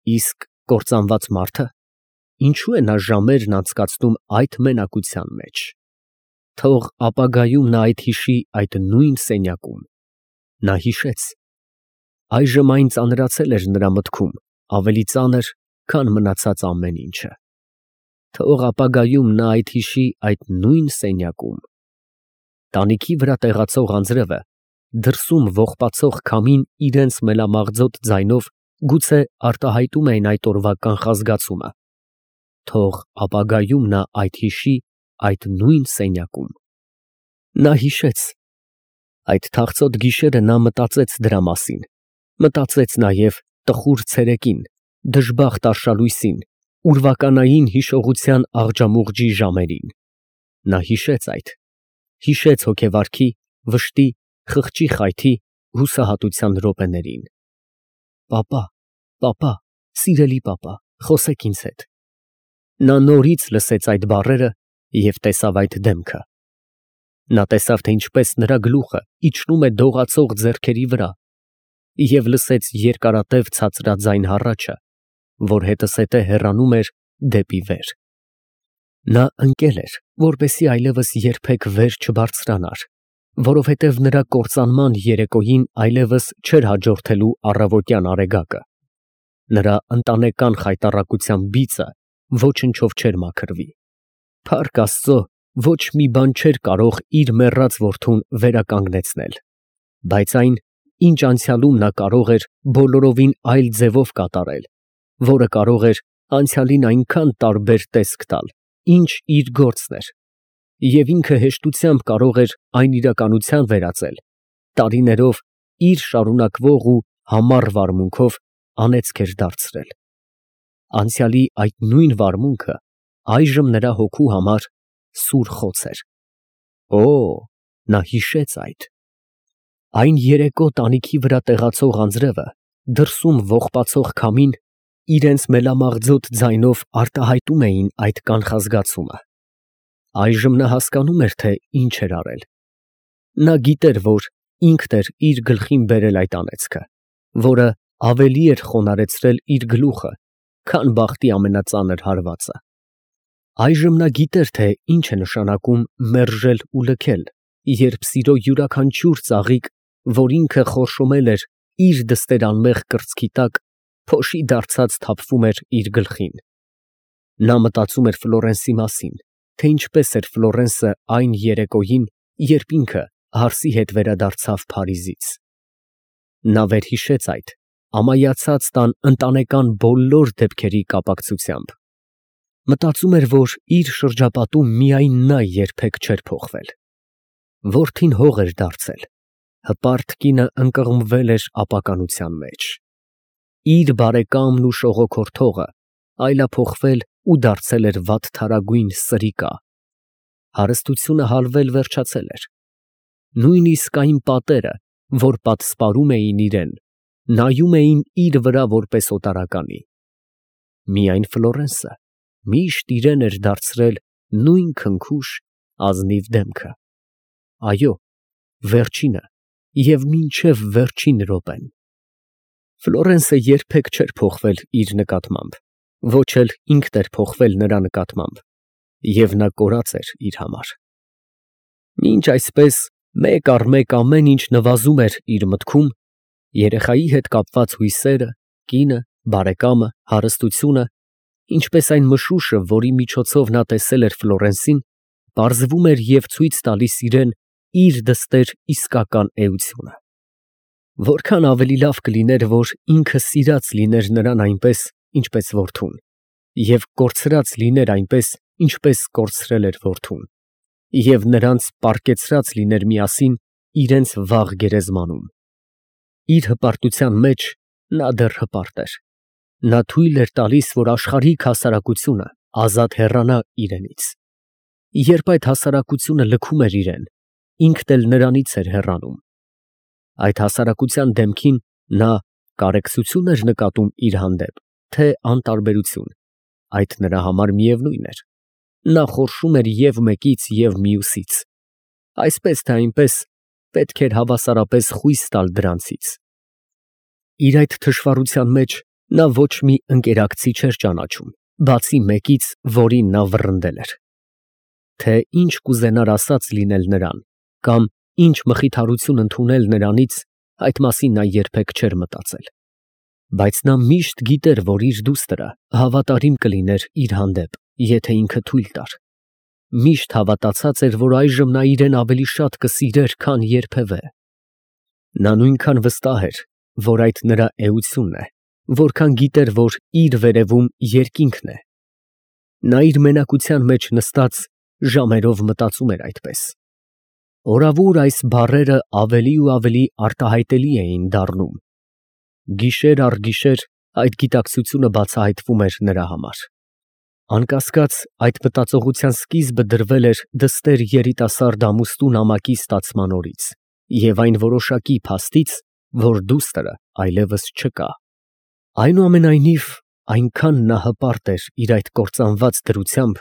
Իսկ կործանված մարդը ինչու է նա ժամերն անցկացնում այդ մենակության մեջ։ Թող ապագայում նա այդ հիշի այդ նույն սենյակում։ Նա հիշեց։ Այժմ այն ծանրացել էր նրա մտքում, ավելի ծանր, քան մնացած ամեն ինչը։ Թող ապագայում նա այդ հիշի այդ նույն սենյակում։ Տանիքի վրա տեղացող անձրևը դրսում ողբացող քամին իրենց մելամաղձոտ ձայնով գուցե արտահայտում էին այդ օրվա կանխազգացումը։ Թող ապագայում նա այդ հիշի այդ նույն սենյակում։ Նա հիշեց։ Այդ թախծոտ գիշերը նա մտածեց դրա մասին, մտածեց նաև տխուր ցերեկին, դժբախտ արշալույսին, ուրվականային հիշողության աղջամուղջի ժամերին։ Նա հիշեց այդ, հիշեց հոգեվարքի, վշտի, խղճի խայթի, հուսահատության րոպեներին։ Պապա, սիրելի պապա, խոսեք ինձ հետ։ Նա նորից լսեց այդ բառերը և տեսավ այդ դեմքը։ Նա տեսավ, թե ինչպես նրա գլուխը իջնում է դողացող ձեռքերի վրա և լսեց երկարատև ցածրաձայն հառաչը, որ հետզհետե հեռանում էր դեպի վեր։ Նա ընկել էր, որպեսզի այլևս երբեք վեր չբարձրանար, որովհետև նրա կործանման երեկոյին այլևս չէր հաջորդելու առավոտյան արեգակը։ Նրա ընտանեկան խայտառակության բիծը ոչնչով չէր մաքրվի։ Փառք Աստծո, ոչ մի բան չէր կարող իր մեռած որդուն վերականգնեցնել, բայց այն, ինչ անցյալում նա կարող էր բոլորովին այլ ձևով կատարել, որը կարող էր անցյալին այնքան տարբեր տեսք տալ, ինչ իր գործն էր, և ինքը հեշտությամբ կարող էր այն իրականության վերածել, տարիներով իր շարունակվող ու համառ վարմունքով անեծք էր դարձրել։ Անցյալի այդ նույն վարմունքը այժմ նրա հոգու համար սուր խոց էր։ Օ, նա հիշեց այդ։ Այն երեկո տանիքի վրա տեղացող անձրևը, դրսում ողբացող քամին իրենց մելամաղձոտ ձայնով արտահայտում էին այդ կանխազգացումը։ Այժմ նա հասկանում էր, թե ինչ էր արել։ Նա գիտեր, որ ինքն էր իր գլխին բերել այդ անեծքը, որը ավելի էր խոնարհեցրել իր գլուխը, քան բախտի ամենածանր հարվածը։ Այժմ նա գիտեր, թե ինչ է նշանակում մերժել ու լքել, երբ սիրո յուրաքանչյուր ծաղիկ, որ ինքը խորշոմել էր իր դստեր անմեղ կրծքի տակ, փոշի դարձած թափվում էր իր գլխին։ Նա մտածում էր Ֆլորենսի մասին, թե ինչպես էր Ֆլորենսը այն երեկոյին, երբ ինքը հարսի հետ վերադարձավ Փարիզից։ Նա վերհիշեց այդ, ամայացած տան ընտանեկան բոլոր դեպքերի կապակցությամբ։ Մտածում էր, որ իր շրջապատում միայն նա երբեք չէր փոխվել։ Որդին հող էր դարձել, հպարտ կինը ընկղմվել էր ապականության մեջ։ Իր բարեկամն ու շողոքորթողը այլափոխվել ու դարձել էր վատթարագույն սրիկա։ Հարստությունը հալվել վերջացել էր։ Նույնիսկ այն պատերը, որ պատսպարում էին իրեն, նայում էին իր վրա որպես օտարականի։ Միայն Ֆլորենսը միշտ իրեն էր դարձրել նույն քնքուշ, ազնիվ դեմքը։ Այո, վերջինը և մինչև վերջին րոպեն։ Ֆլորենսը երբեք չէր փոխվել իր նկատմամբ, ոչ էլ ինքն էր փոխվել նրա նկատմամբ, և նա կորած էր իր համար։ Մինչ այսպես մեկ առ մեկ ամեն ինչ նվազում էր իր մտքում, երեխայի հետ կապված հույսերը, կինը, բարեկամը, հարստությունը, ինչպես այն մշուշը, որի միջոցով նա տեսել էր Ֆլորենսին, պարզվում էր և ցույց տալիս իրան իր դստեր իսկական էությունը։ Որքան ավելի լավ կլիներ, որ ինքը սիրած լիներ նրան այնպես, ինչպես որդուն, և կորցրած լիներ այնպես, ինչպես կորցրել էր որդուն, և նրանց պառկեցրած լիներ միասին իրենց վաղ գերեզմանում։ Իր հպարտության մեջ նա դեռ հպարտ էր։ Նա թույլ էր տալիս, որ աշխարհիկ հասարակությունը ազատ հեռանա իրենից։ Երբ այդ հասարակությունը լքում էր իրան, ինքն էլ նրանից էր հեռանում։ Այդ հասարակության դեմքին նա կարեկցությո՞ւն էր նկատում իր հանդեպ, թե անտարբերություն, այդ նրա համար միևնույն էր։ Նա խորշում էր և մեկից, և մյուսից։ Այսպես թե այնպես պետք էր հավասարապես խույս տալ դրանցից։ Իր այդ թշվառության մեջ Նա ոչ մի ընկերակցի չէր ճանաչում, բացի մեկից, որին նա վռնդել էր։ Թե ինչ կուզենար ասած լինել նրան, կամ ինչ մխիթարություն ընդունել նրանից, այդ մասին նա երբեք չէր մտածել։ Բայց նա միշտ գիտեր, որ իր դուստրը հավատարիմ կլիներ իր հանդեպ, եթե ինքը թույլ տար։ Միշտ հավատացած էր, որ այժմ նա իրեն ավելի շատ կսիրեր, քան երբևէ։ Նա նույնքան վստահ էր, որ այդ նրա էությունն է, որքան գիտեր, որ իր վերևում երկինքն է։ Նա իր մենակության մեջ նստած ժամերով մտածում էր այդպես։ Օրավուր այս բառերը ավելի ու ավելի արտահայտելի էին դառնում։ Գիշեր առ գիշեր այդ գիտակցությունը բացահայտվում էր նրա համար։ Անկասկած, այդ մտածողության սկիզբը դրվել էր դստեր երիտասարդ ամուսնու նամակի ստացման օրից և այն որոշակի փաստից, որ դուստրը այլևս չկա։ Այնուամենայնիվ, այնքան նա հպարտ էր իր այդ կործանված դրությամբ,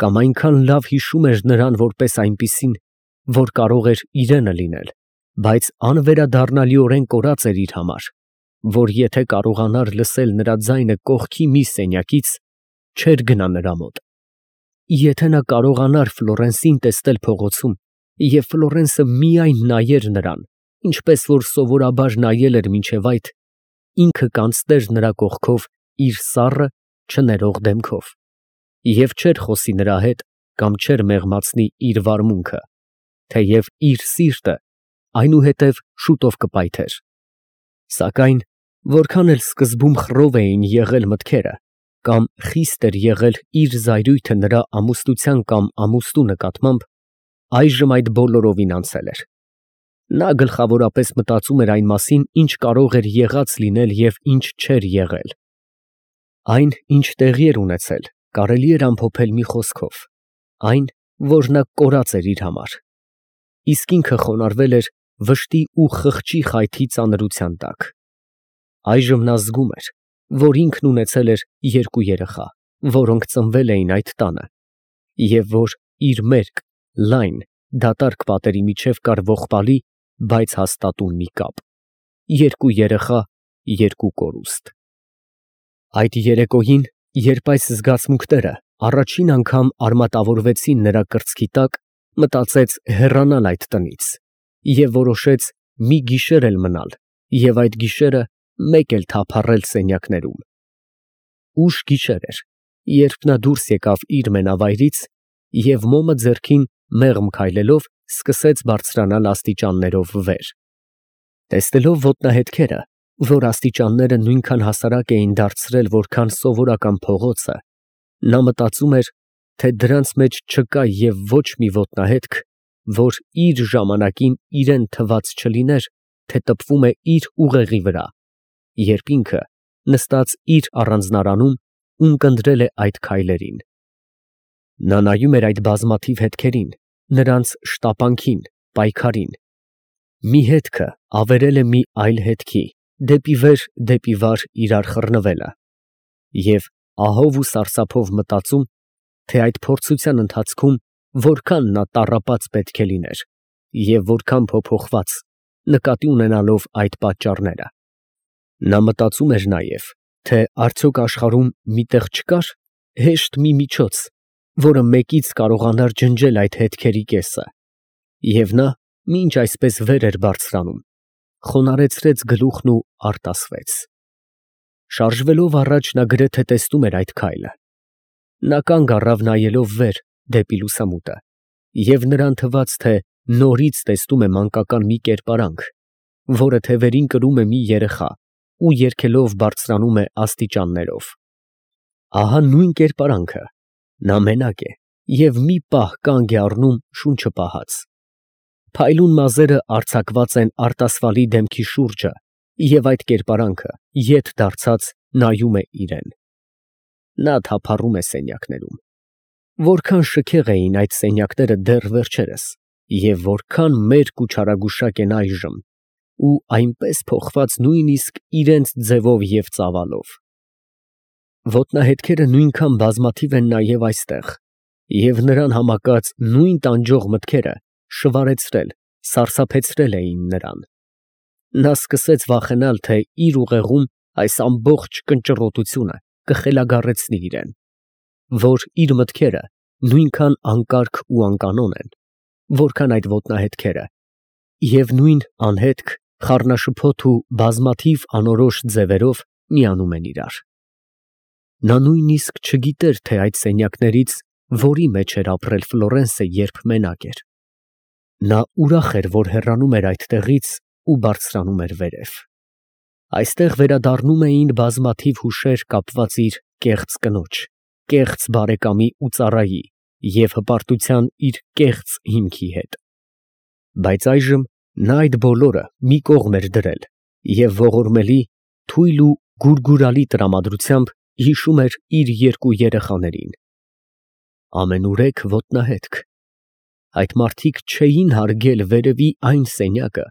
կամ այնքան լավ հիշում էր նրան որպես այնպիսին, որ կարող էր իրենը լինել, բայց անվերադառնալիորեն կորած էր իր համար, որ եթե կարողանար լսել նրա ձայնը կողքի մի սենյակից, չէր գնա նրա մոտ։ Եթե նա կարողանար Ֆլորենսին տեսնել փողոցում, և Ֆլորենսը միայն նայեր նրան, ինչպես որ սովորաբար նայել էր մինչև այդ, ինքը կանցներ նրա կողքով իր սառը, չներող դեմքով, և չէր խոսի նրա հետ կամ չէր մեղմացնի իր վարմունքը, թեև իր սիրտը այնուհետև շուտով կպայթեր։ Սակայն որքան էլ սկզբում խռով էին եղել մտքերը, կամ խիստ էր եղել իր զայրույթը նրա ամուսնության կամ ամուսնու նկատմամբ, այժմ այդ բոլորովին անցել էր։ Նա գլխավորապես մտածում էր այն մասին, ինչ կարող էր եղած լինել և ինչ չէր եղել։ Այն, ինչ տեղի էր ունեցել, կարելի էր ամփոփել մի խոսքով. այն, որ նա կորած էր իր համար, իսկ ինքը խոնարհվել էր վշտի ու խղճի խայթի ծանրության տակ։ Այժմ նա զգում էր, որ ինքն ունեցել էր երկու երեխա, որոնք ծնվել էին այդ տանը, և որ իր մերկ, լայն, դատարկ պատերի միջև կար ողբալի, բայց հաստատուն մի կապ. երկու երեխա, երկու կորուստ։ Այդ երեկոյին, երբ այս զգացմունքները առաջին անգամ արմատավորվեցին նրա կրծքի տակ, մտածեց հեռանալ այդ տնից և որոշեց մի գիշեր էլ մնալ և այդ գիշերը մեկ էլ թափառել սենյակներում։ Ուշ գիշեր էր, երբ նա դուրս եկավ իր մենավայրից և մոմը ձեռքին մեղմ քայլելով սկսեց բարձրանալ աստիճաններով վեր։ Տեսնելով ոտնահետքերը, որ աստիճանները նույնքան հասարակ էին դարձրել, որքան սովորական փողոցը, նա մտածում էր, թե դրանց մեջ չկա և ոչ մի ոտնահետք, որ իր ժամանակին իրան թված չլիներ, թե տպվում է իր ուղեղի վրա, երբ ինքը նստած իր առանձնարանում ունկնդրել է այդ քայլերին։ Նա նայում էր այդ բազմաթիվ հետքերին, նրանց շտապանքին, պայքարին։ Մի հետքը ավերել է մի այլ հետքի, դեպի վեր, դեպի վար իրար խռնվելը, և ահով ու սարսափով մտածում, թե այդ փորձության ընթացքում որքան նա տառապած պետք է լիներ և որքան փոփոխված, նկատի ունենալով այդ պատճառները։ Նա մտածում էր նաև, թե արդյոք աշխարհում մի տեղ չկար հեշտ մի միջոց, որը մեկից կարողանար ջնջել այդ հետքերի կեսը, և նա, մինչ այսպես վեր էր բարձրանում, խոնարհեցրեց գլուխն ու արտասվեց։ Շարժվելով առաջ նա գրեթե տեսնում էր այդ քայլը։ Նա կանգ առավ նայելով վեր դեպի լուսամուտը, և նրան թվաց, թե նորից տեսնում է մանկական մի կերպարանք, որը թևերին կրում է մի երեխա ու երգելով բարձրանում է աստիճաններով։ Ահա նույն կերպարանքը, նա մենակ է և մի պահ կանգ է առնում շունչը պահած։ Փայլուն մազերը արձակված են արտասվալի դեմքի շուրջը և այդ կերպարանքը, ետ դարձած, նայում է իրան։ Նա թափառում է սենյակներում։ Որքան շքեղ էին այդ սենյակները դեռ վերջերս և որքան մերկ ու չարագուշակ են այժմ, ու այնպես փոխված նույնիսկ իրենց ձևով և ծավալով։ Ոտնահետքերը նույնքան բազմաթիվ են նաև այստեղ, և նրան համակած նույն տանջող մտքերը շվարեցրել, սարսափեցրել էին նրան։ Նա սկսեց վախենալ, թե իր ուղեղում այս ամբողջ կնճռոտությունը կխելագարեցնի իրեն, որ իր մտքերը նույնքան անկարգ ու անկանոն են, որքան այդ ոտնահետքերը, և նույն անհետք, խառնաշփոթ ու բազմաթիվ անորոշ ձևերով միանում են իրար։ Նա նույնիսկ չգիտեր, թե այդ սենյակներից որի մեջ էր ապրել Ֆլորենսը, երբ մենակ էր։ Նա ուրախ էր, որ հեռանում էր այդտեղից ու բարձրանում էր վերև։ Այստեղ վերադառնում էին բազմաթիվ հուշեր կապված իր կեղծ կնոջ, կեղծ բարեկամի ու ծառայի և հպարտության իր կեղծ հիմքի հետ։ Բայց այժմ նա այդ բոլորը մի կողմ էր դրել և ողորմելի, թույլ ու գուրգուրալի տրամադրությամբ հիշում էր իր երկու երեխաներին։ Ամենուրեք ոտնահետք։ Այդ մարդիկ չէին հարգել վերևի այն սենյակը,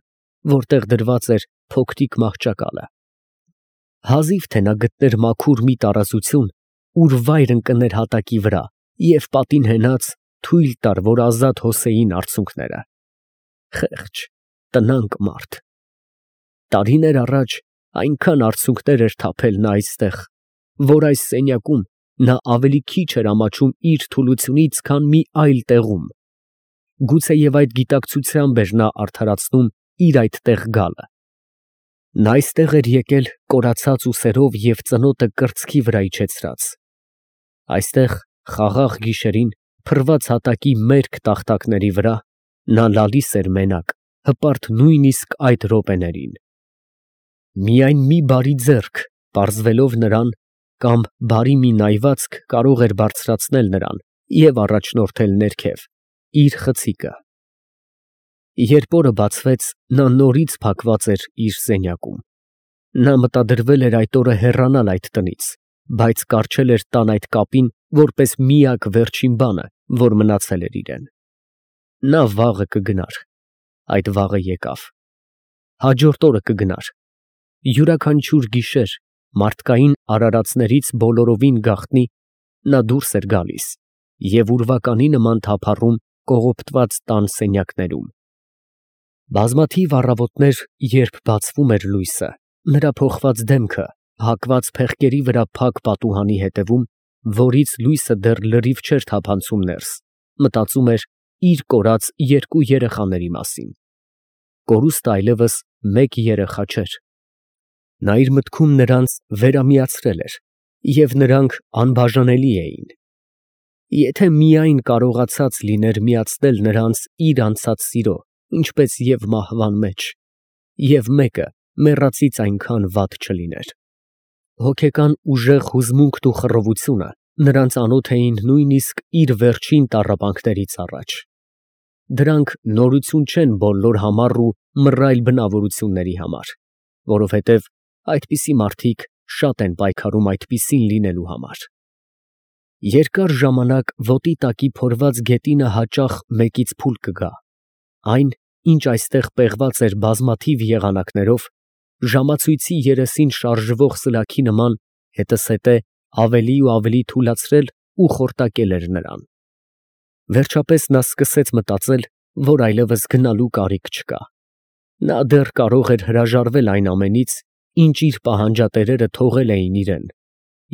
որտեղ դրված էր փոքրիկ մահճակալը։ Հազիվ թե նա գտներ մաքուր մի տարածություն, ուր վայր ընկներ հատակի վրա և պատին հենած թույլ տար, որ ազատ հոսեին արցունքները։ Խեղճ, տնանկ մարդ։ Տարիներ առաջ այնքան արցունքներ էր թափել նա այստեղ, որ այս սենյակում նա ավելի քիչ էր ամաչում իր թուլությունից, քան մի այլ տեղում։ Գուցեև այդ գիտակցությամբ էր նա արդարացնում իր այդտեղ գալը։ Նա այստեղ էր եկել կորացած ուսերով և ծնոտը կրծքի վրա իջեցրած։ Այստեղ խաղաղ գիշերին, փռված հատակի մերկ տախտակների վրա, նա լալիս էր մենակ, հպարտ նույնիսկ այդ րոպեներին։ Միայն մի բարի ձեռք, պարզվելով նրան, կամ բարի մի նայվածք կարող էր բարձրացնել նրան և առաջնորդել ներքև, իր խցիկը։ Երբ օրը բացվեց, նա նորից փակված էր իր սենյակում։ Նա մտադրվել էր այդ օրը հեռանալ այդ տնից, բայց կառչել էր տան այդ կապին որպես միակ վերջին բանը, որ մնացել էր իրեն։ Նա վաղը կգնար։ Այդ վաղը եկավ։ Հաջորդ օրը կգնար։ Յուրաքանչյուր գիշեր մարդկային արարածներից բոլորովին գաղտնի նա դուրս էր գալիս և ուրվականի նման թափառում կողոպտված տան սենյակներում։ Բազմաթիվ առավոտներ, երբ բացվում էր լույսը, նրա փոխված դեմքը հակված փեղկերի վրա փակ պատուհանի հետևում, որից լույսը դեռ լրիվ չէր թափանցում ներս, մտածում էր իր կորած երկու երեխաների մասին։ Կորուստը այլևս մեկ երեխա չէր։ Նա իր մտքում նրանց վերամիացրել էր, և նրանք անբաժանելի էին։ Եթե միայն կարողացած լիներ միացնել նրանց իր անցած սիրո, ինչպես և մահվան մեջ, և մեկը մեռածից այնքան վատ չլիներ։ Հոգեկան ուժեղ հուզմունքն ու խռովությունը նրանց անոթ էին նույնիսկ իր վերջին տառապանքներից առաջ։ Դրանք նորություն չեն բոլոր համառ ու մռայլ բնավորությունների համար, որովհետև այդպիսի մարդիկ շատ են պայքարում այդպիսին լինելու համար։ Երկար ժամանակ ոտի տակի փորված գետինը հաճախ մեկից փուլ կգա։ Այն, ինչ այստեղ պեղված էր բազմաթիվ եղանակներով, ժամացույցի երեսին շարժվող սլաքի նման, հետզհետե ավելի ու ավելի թուլացրել ու խորտակել էր նրան։ Վերջապես նա սկսեց մտածել, որ այլևս գնալու կարիք չկա։ Նա դեռ կարող էր հրաժարվել այն ամենից, ինչ իր պահանջատերերը թողել էին իրեն,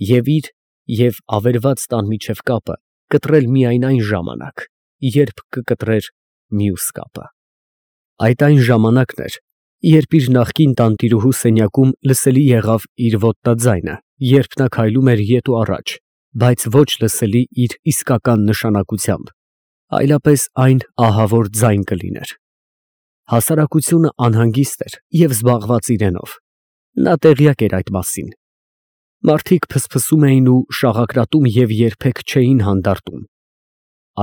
և իր և ավերված տան միջև կապը կտրել միայն այն ժամանակ, երբ կկտրեր մյուս կապը։ Այդ այն ժամանակն էր, երբ իր նախկին տանտիրուհու սենյակում լսելի եղավ իր ոտնաձայնը, երբ նա քայլում էր ետ ու առաջ, բայց ոչ լսելի իր իսկական նշանակությամբ, այլապես այն ահավոր ձայն կլիներ։ Հասարակությունը անհանգիստ էր և զբաղված իրենով։ Նա տեղյակ էր այդ մասին։ Մարդիկ փսփսում էին ու շաղակրատում և երբեք չէին հանդարտում։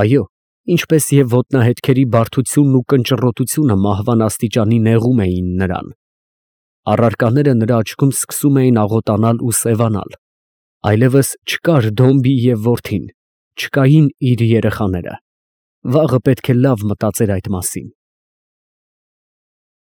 Այո, ինչպես և ոտնահետքերի բարդությունն ու կնճռոտությունը մահվան աստիճանի նեղում էին նրան։ Առարկաները նրա աչքում սկսում էին աղոտանալ ու սևանալ։ Այլևս չկար Դոմբի և որդին, չկային իր երեխաները։ Վաղը պետք է լավ մտածեր այդ մասին։